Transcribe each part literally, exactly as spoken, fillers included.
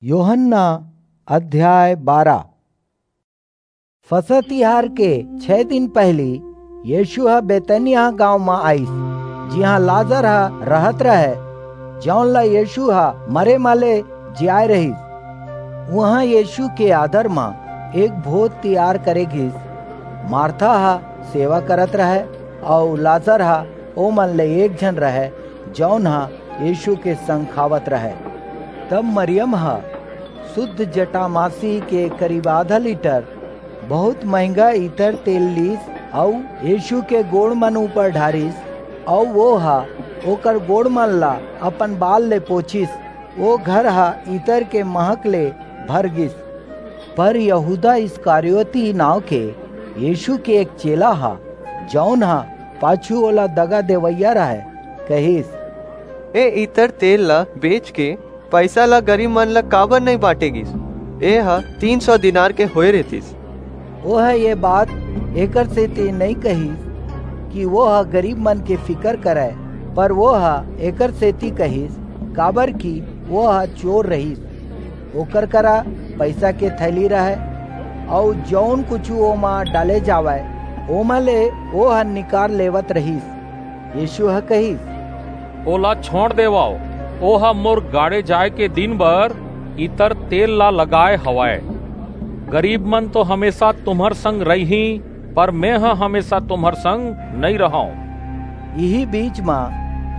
यूहन्ना अध्याय बारह। फसह तिहार के छह दिन पहिली यीशु ह बेतनिया गांव म आइस, जिहां लाजर ह रहत रहय, जौन ला यीशु ह मरे म ले जियाय रहिस। उहां यीशु के आदर म एक भोज तियार करे गिस। मार्था ह सेवा करत रहय, अऊ लाजर ह ओमन ले एक झन रहय, जौन ह यीशु के संग खावत रहय। तब मरियम ह शुद्ध जटामासी के करीब आधा लीटर बहुत महंगा इतर तेल लीस, अऊ यीशु के गोड़ मन ऊपर ढारिस, अऊ वो ह ओकर गोड़ मन ला अपन बाल ले पोंछिस। वो घर ह इतर के महक ले भर गिस। पर यहूदा इस्करियोती नांव के यीशु के एक चेला ह, जौन ह पाछू ओला दगा देवइया रहय, कहिस, "ए इतर तेल ला बेच के पइसा ला गरीब मन ला काबर नइं बांटे गिस? ए ह तीन सौ दीनार के होय रहितिस।" ओह ये बात एकर सेती नइं कहिस कि वो ह गरीब मन के फिकर करय, पर वो ह एकर सेती कहिस, काबर कि वो ह चोर रहिस। ओकर करा पइसा के थैली रहय, अऊ जऊन कुछू ओमा डाले जावय, ओमा ले ओह निकार लेवत रहिस। यीशु ह कहिस, "ओला छोंड़ देवव, ओह मोर गाड़े जाय के दिन बर इतर तेल ला लगाय हवय। गरीब मन तो हमेसा तुम्हर संग रहिहीं, पर मेंह हमेसा तुम्हर संग नइं रहंव।" इही बीच म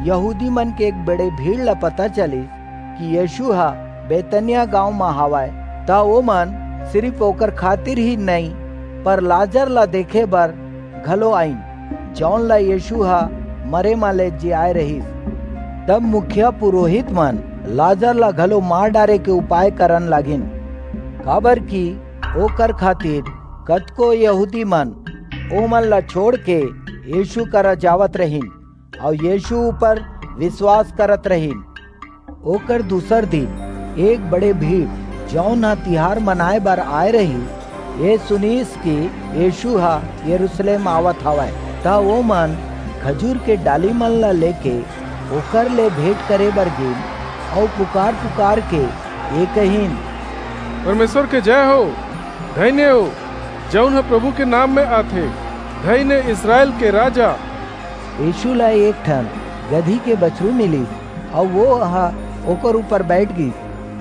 यहूदी मन के एक बड़े भीड़ ला पता चलिस कि यीशु ह बेतनिया गांव म हावय, त ओमन सिरिफ ओकर खातिर ही नइं, पर लाजर ला देखे बर घलो आईन, जौन ला यीशु ह मरे म ले जियाय रहिस। तब मुखिया पुरोहित मन लाजर ला घलो मार डारे के उपाय करन लागिन, काबर कि ओकर खातिर कतको यहूदी मन ओमन ला छोंड़ के यीशु करा जावत रहिन, अऊ यीशु ऊपर विश्वास करत रहिन। ओकर दूसर दिन एक बड़े भीड़, जौन ह तिहार मनाय बर आय रहिस, ये सुनिस कि यीशु ह यरूशलेम आवत हवय, त ओमन खजूर के डाली मन ला लेके ओकर ले भेंट करे बर गिन, अऊ पुकार-पुकार के ये कहिन, "परमेश्वर के जय हो, धन्य हो, जऊन ह प्रभु के नाम म आथे, धन्य इसरायल के राजा।" यीशु ला एक ठन गदही के बछरू मिलिस, अऊ वो ह ओकर ऊपर बईठ गीस,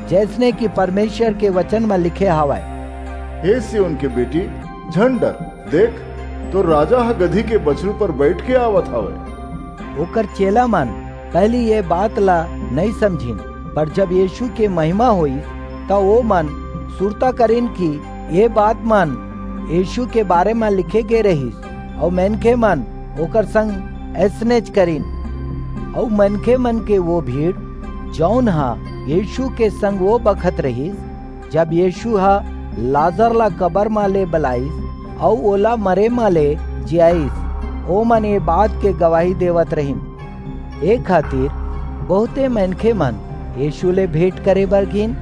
जइसने कि परमेश्वर के वचन म लिखे हवय, "हे सिय्योन के बेटी, झन डर, देख, तोर राजा ह गदही के बछरू पर बईठ के आवत हवय।" ओकर चेला मन पहिली ये बात ला नइं समझिन, पर जब यीशु के महिमा होईस, त ओमन सुरता करिन कि ये बात मन यीशु के बारे म लिखे गे रहिस, अऊ मनखे मन ओकर संग अइसनेच करिन। अऊ मनखे मन के वो भीड़, जऊन ह यीशु के संग वो बखत रहिस, जब यीशु ह लाजर ला कबर म ले बलाईस अऊ ओला मरे म ले जियाईस, ओमन ये बात के गवाही देवत रहिन। ए खातिर बहुते मनखे मन यीशु ले भेंट करे बर गिन,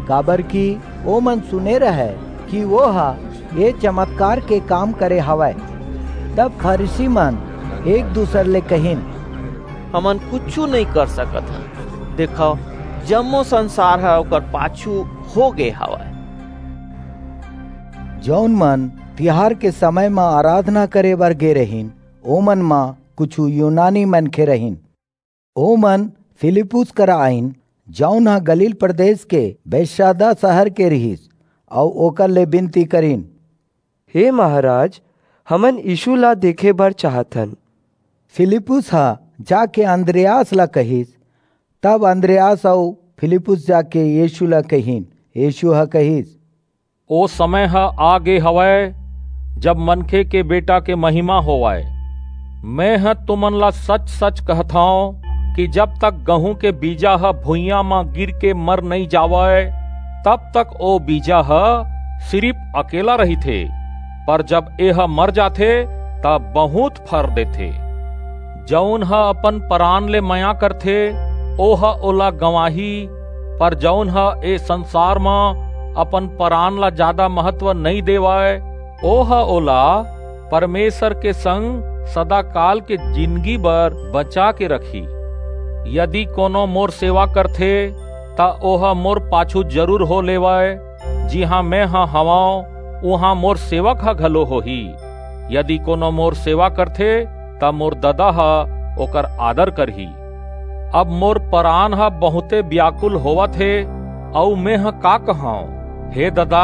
काबर कि ओमन सुने रहय कि वो ह ये चमत्कार के काम करे हवय। तब फरीसी मन एक दूसर ले कहिन, "हमन कुछू नइं कर सकत हन। देखव, जम्मो संसार ह ओकर पाछू हो गे हवय।" जऊन मन तिहार के समय म आराधना करे बर गे रहिन, ओमन म कुछू यूनानी मनखे रहिन। ओमन फिलिप्पुस करा आईन, जऊन ह गलील प्रदेश के बेतसैदा सहर के रिहिस, अऊ ओकर ले बिनती करिन, "हे महाराज, हमन यीशु ला देखे बर चाहत हन।" फिलिप्पुस ह जाके अंद्रियास ला कहिस। तब अंद्रियास अऊ फिलिप्पुस जाके यीशु ला कहिन। यीशु ह कहिस, "ओ समय ह आ गे हवय, जब मनखे के बेटा के महिमा होवय। मेंह तुमन ला सच-सच कहथंव कि जब तक गहूं के बीजा ह भुइयां म गिर के मर नइं जावय, तब तक ओ बीजा ह सिरिफ अकेला रहिथे, पर जब एह मर जाथे, त बहुंत फर देथे। जऊन ह अपन परान ले मया करथे, ओह ओला गंवाही, पर जऊन ह ए संसार म अपन परान ला जादा महत्व नइं देवय, ओह ओला परमेसर के संग सदाकाल के जिनगी बर बचा के रखही। यदि कोनो मोर सेवा करथे, त ओह मोर पाछू जरूर हो लेवय। जिहां मेंह हवंव, उहां मोर सेवक ह घलो होही। यदि कोनो मोर सेवा करथे, त मोर ददा ह ओकर आदर करही। अब मोर परान ह बहुंते बियाकुल होवत हे, अऊ मेंह का कहंव? हे ददा,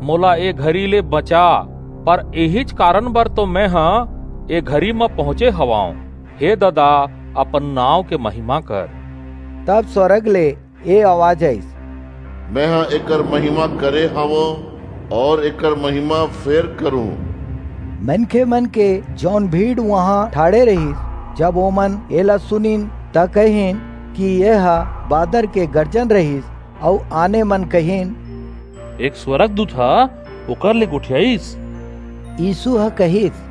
मोला ए घरी ले बचा, पर एहीच कारन बर तो मेंह ए घरी म पहुंचे हवंव। हे ददा, अपन नांव के महिमा कर। तब स्‍वरग ले ए अवाज आईस, मेंह एकर महिमा करे हवंव अऊ एकर महिमा फेर करूं। मनखेमन के जऊन भीड़ उहां ठाढ़े रिहिस, जब ओमन एला सुनिन, त कहिन कि एह बादर के गरजन रिहिस, अऊ आने मन कहिन, एक स्‍वरगदूत ह ओकर ले गोठियाईस। यीसू ह कहिस,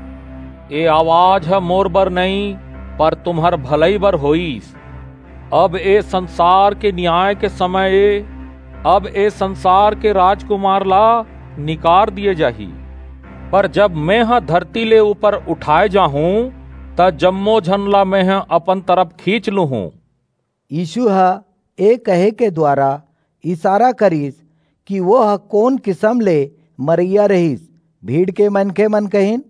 ए अवाज ह मोर बर नइं, पर तुम्हर भलई बर होईस। अब ए संसार के नियाय के समय ए। अब ए संसार के राजकुमार ला निकार दिये जाही। पर जब मेंह धरती ले ऊपर उठाय जाहूं, त जम्मो झन ला मेंह अपन तरफ खींच लूहूं। यीसू ह ए कहे के दुवारा इसारा करिस कि ओह कोन किसम ले मरइया रिहिस। भीड़ के मनखेमन कहिन,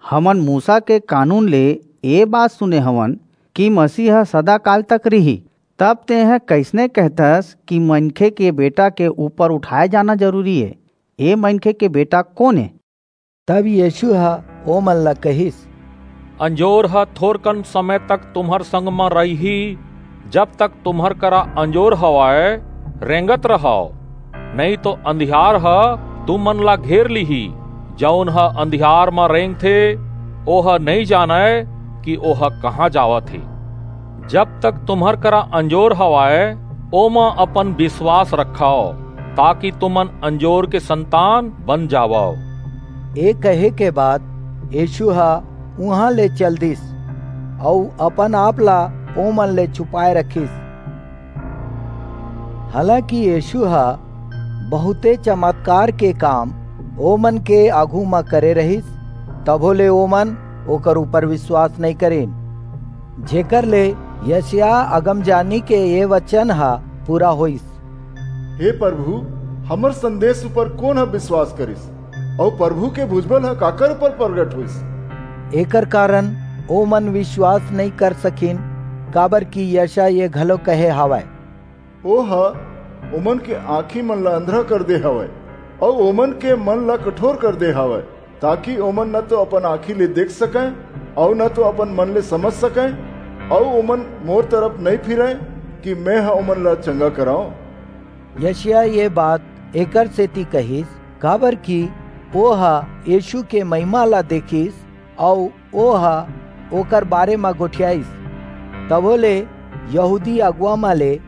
हमन मूसा के कानून ले ए बात सुने हवन कि मसीह ह सदाकाल तक रिही। तब तेंह कइसने कहथस कि मनखे के बेटा के ऊपर उठाय जाना जरूरी ए? ए मनखे के बेटा कोन ए? तब यीसू ह ओमन ला कहिस, अंजोर ह थोरकन समय तक तुम्हर संग म रहिही। जब तक तुम्हर करा अंजोर हवय, रेंगत रहव, नइं तो अंधियार ह तुमन ला घेर लिही। जऊन ह अंधियार म रेंगथे, ओह नइं जानय कि ओह कहां जावत हे। जब तक तुम्हर करा अंजोर हवय, ओमा अपन बिसवास रखव, ताकि तुमन अंजोर के संतान बन जावव। ए कहे के बाद यीसू ह उहां ले चल दिस, अऊ अपन-आप ला ओमन ले छुपाय रखिस। हालांकि यीसू ह बहुंते चमतकार के काम ओमन के आघू म करे रिहिस, तभो ले ओमन ओकर ऊपर बिसवास नइं करिन। जेकर ले यशायाह अगमजानी के ए बचन ह पूरा होईस, हे परभू, हमर संदेस ऊपर कोन ह बिसवास करिस? अऊ परभू के भुजबल ह काकर ऊपर परगट होईस? एकर कारन ओमन बिसवास नइं कर सकिन, काबरकि यशायाह ए घलो कहे हवय, ओह ओमन के आंखीमन ला अंधरा कर दे हवय, अऊ ओमन के मन ला कठोर कर दे हवय, ताकि ओमन न तो अपन आंखी ले देख सकंय, अऊ न तो अपन मन ले समझ सकंय, अऊ ओमन मोर तरफ नइं फिरंय कि मेंह ओमन ला चंगा करंव। यशायाह ए बात एकर सेति कहिस, काबरकि ओह यीसू के महिमा ला देखिस, अऊ ओह ओकर बारे म गोठियाईस। तभो ले यहूदी अगुवा म ले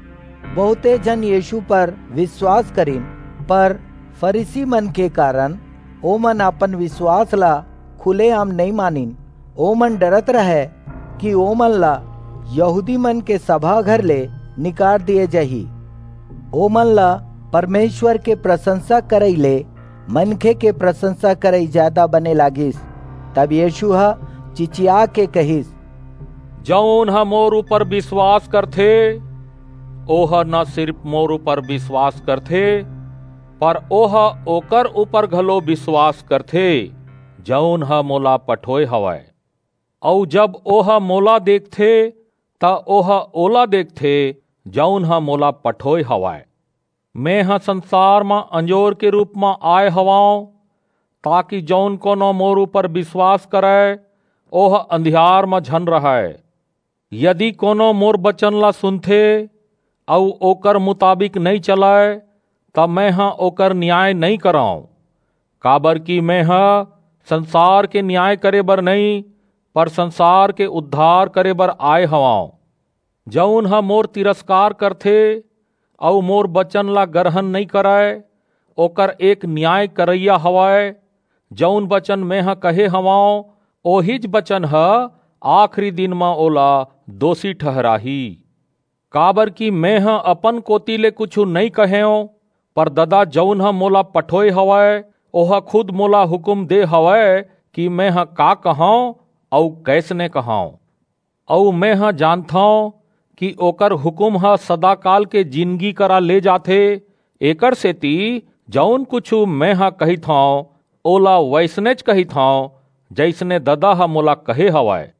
बहुंते झन यीसू पर बिसवास करिन, पर फरीसीमन के कारन ओमन अपन बिसवास ला खुलेआम नइं मानिन। ओमन डरत रहंय कि ओमन ला यहूदीमन के सभा घर ले निकार दिये जाही। ओमन ला परमेसर के परसंसा करई ले मनखे के परसंसा करई जादा बने लागिस। तब यीसू ह चिचियाके कहिस, जऊन ह मोर ऊपर बिसवास करथे, ओह न सिरिप मोर ऊपर बिसवास करथे, पर ओह ओकर ऊपर घलो बिसवास करथे, जऊन ह मोला पठोय हवय। अऊ जब ओह मोला देखथे, त ओह ओला देखथे, जऊन ह मोला पठोय हवय। मेंह संसार म अंजोर के रूप म आय हवंव, ताकि जऊन कोनो मोर ऊपर बिसवास करय, ओह अंधियार म झन रहय। यदि कोनो मोर बचन ला सुनथे अऊ ओकर मुताबिक नइं चलय, त मेंह ओकर नियाय नइं करंव, काबरकि मेंह संसार के नियाय करे बर नइं, पर संसार के उद्धार करे बर आय हवंव। जऊन ह मोर तिरस्कार करथे अऊ मोर बचन ला गरहन नइं करय, ओकर एक नियाय करइया हवय। जऊन बचन मेंह कहे हवंव, ओहीच बचन ह आखिरी दिन म ओला दोसी ठहराही। काबरकि मेंह अपन कोति ले कुछू नइं कहेंव, पर ददा जऊन ह मोला पठोय हवय, ओह खुद मोला हुकूम दे हवय कि मेंह का कहंव अऊ कइसने कहंव। अऊ मेंह जानथंव कि ओकर हुकुम ह सदाकाल के जिनगी करा ले जाथे। एकर सेती जऊन कुछू मेंह कहिथंव, ओला वइसनेच कहिथंव, जइसने ददा ह मोला कहे हवय।